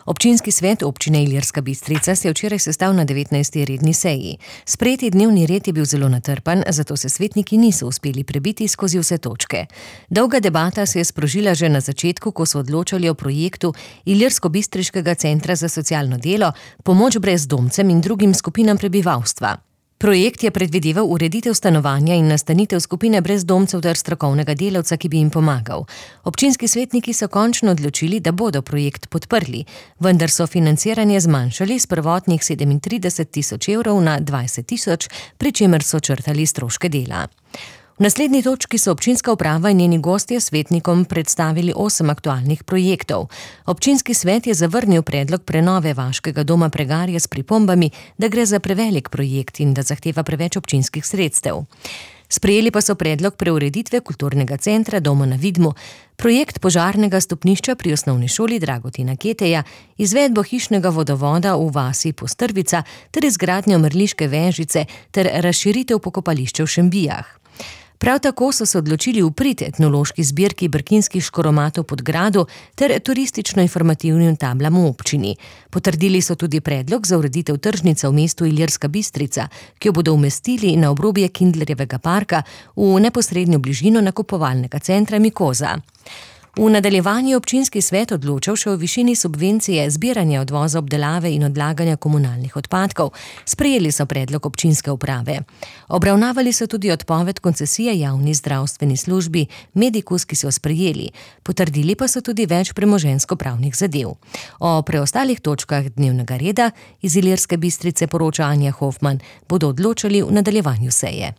Občinski svet občine Ilirska Bistrica se je včeraj sestal na 19. redni seji. Sprejeti dnevni red je bil zelo natrpan, zato se svetniki niso uspeli prebiti skozi vse točke. Dolga debata se je sprožila že na začetku, ko so odločali o projektu Ilirsko-Bistriškega centra za socialno delo, pomoč brezdomcem in drugim skupinam prebivalstva. Projekt je predvideval ureditev stanovanja in nastanitev skupine brezdomcev ter strokovnega delavca, ki bi jim pomagal. Občinski svetniki so končno odločili, da bodo projekt podprli, vendar so financiranje zmanjšali s prvotnih 37 000 evrov na 20 000, pri čemer so črtali stroške dela. V naslednji točki so občinska uprava in njeni gostje svetnikom predstavili 8 aktualnih projektov. Občinski svet je zavrnil predlog prenove vaškega doma Pregarje s pripombami, da gre za prevelik projekt in da zahteva preveč občinskih sredstev. Sprejeli pa so predlog preureditve kulturnega centra Doma na Vidmu, projekt požarnega stopnišča pri osnovni šoli Dragotina Keteja, izvedbo hišnega vodovoda v vasi Postrvica ter izgradnjo mrliške vežice ter razširitev pokopališča v Šembijah. Prav tako so se odločili v prid etnološki zbirki brkinskih škoromatov pod gradu ter turistično-informativnim tablam v občini. Potrdili so tudi predlog za ureditev tržnice v mestu Ilirska Bistrica, ki jo bodo umestili na obrobje Kindlerjevega parka v neposrednjo bližino nakupovalnega centra Mikoza. V nadaljevanju je občinski svet odločal še o višini subvencije zbiranja, odvoza, obdelave in odlaganja komunalnih odpadkov. Sprejeli so predlog občinske uprave. Obravnavali so tudi odpoved koncesije javni zdravstveni službi Medikus, ki so sprejeli. Potrdili pa so tudi več premoženjsko-pravnih zadev. O preostalih točkah dnevnega reda iz Ilirske Bistrice poroča Anja Hofman, bodo odločali v nadaljevanju seje.